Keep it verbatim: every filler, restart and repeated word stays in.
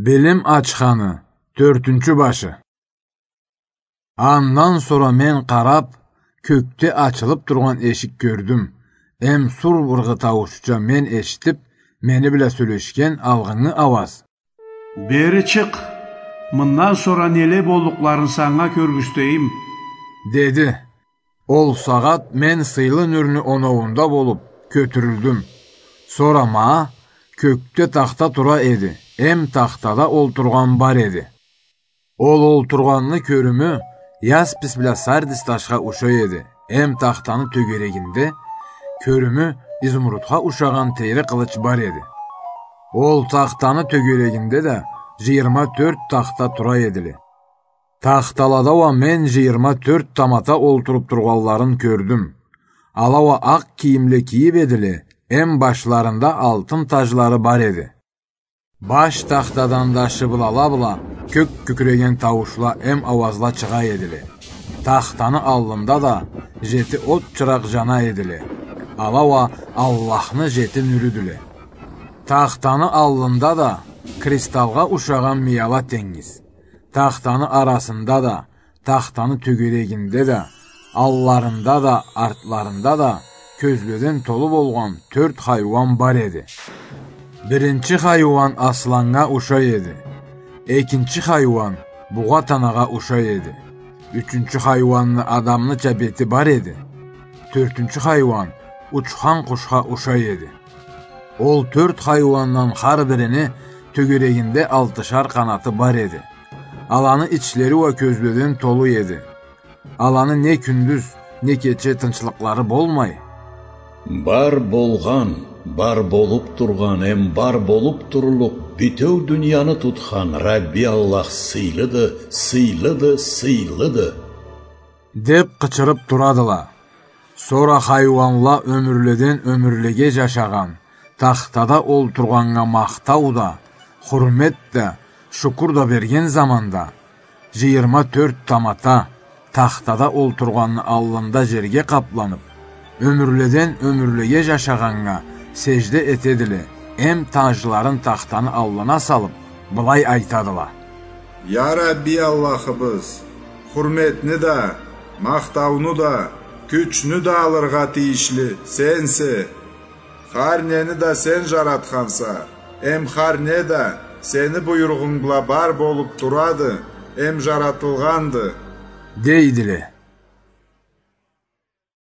Билим ачханы, тёртюнчю башы. Андан сора мен къарап, кёкде ачылып тургъан эшик кёрдюм, эм сур ыргъы тауушча мен эшитип, мени бла сёлешген алгъынгы ауаз: «Бери чыкъ, мындан сора неле боллукъларын санга кёргюзтейим», — деди. Ол сагъат мен сыйлы нюрню оноуунда болуп, кётюрюлдюм. Сора ма кёкде тахта тура эди, эм тахтада олтургъан бар эди. Ол олтургъанны кёрюмю яспис бла сардис ташха ушай эди, эм тахтаны тёгерегинде кёрюмю изумрудха ушагъан тейри къылыч бар эди. Ол тахтаны тёгерегинде да жыйырма тёрт тахта тура эдиле. Тахталада уа мен жыйырма тёрт тамата олтуруп тургъанларын кёрдюм. Ала уа акъ кийимле кийип эдиле, эм башларында алтын тажлары бар эди. Баш тахтадан да шыбылала бла кёк кюкюреген тауушла эм ауазла чыгъа эдиле. Тахтаны аллында да жети от чыракъ жана эдиле. Ала уа Аллахны жети нюрюдюле. Тахтаны аллында да кристалгъа ушагъан мияла тенгиз. Тахтаны арасында да, тахтаны тёгерегинде да, алларында да, артларында да кёзледен толу болгъан тёрт хайуан бар эди. Биринчи хайуан асланнга ушай эди. Экинчи хайуан бугъа танагъа ушай эди. Ючюнчю хайуанны адамныча бети бар эди. Тёртюнчю хайуан учхан къушха ушай эди. Ол тёрт хайуандан хар бирини тёгерегинде алтышар къанаты бар эди. Аланы ичлери уа кёзледен толу эди. Аланы не кюндюз, не кече тынчлыкълары болмай: «Бар болгъан, бар болуп тургъан эм бар болуп турлукъ бютеу дунияны тутхан Рабби Аллах сыйлыды, сыйлыды, сыйлыды!» — деп къычырып турадыла. Сора хайуанла ёмюрледен ёмюрлеге жашагъан тахтада олтургъаннга махтау да, хурмет да, шукур да берген заманда, жыйырма тёрт тамата тахтада олтургъанны аллында жерге къапланып, ёмюрледен ёмюрлеге жашагъаннга сежде этедиле, эм тажларын тахтаны аллына салып, былай айтадыла: «Я Рабби Аллахыбыз, хурметни да, махтауну да, кючню да алыргъа тийишли Сенсе. Хар нени да Сен жаратханса, эм хар не да Сени буйругъунг бла бар болуп турады, эм жаратылгъанды», — дейдиле.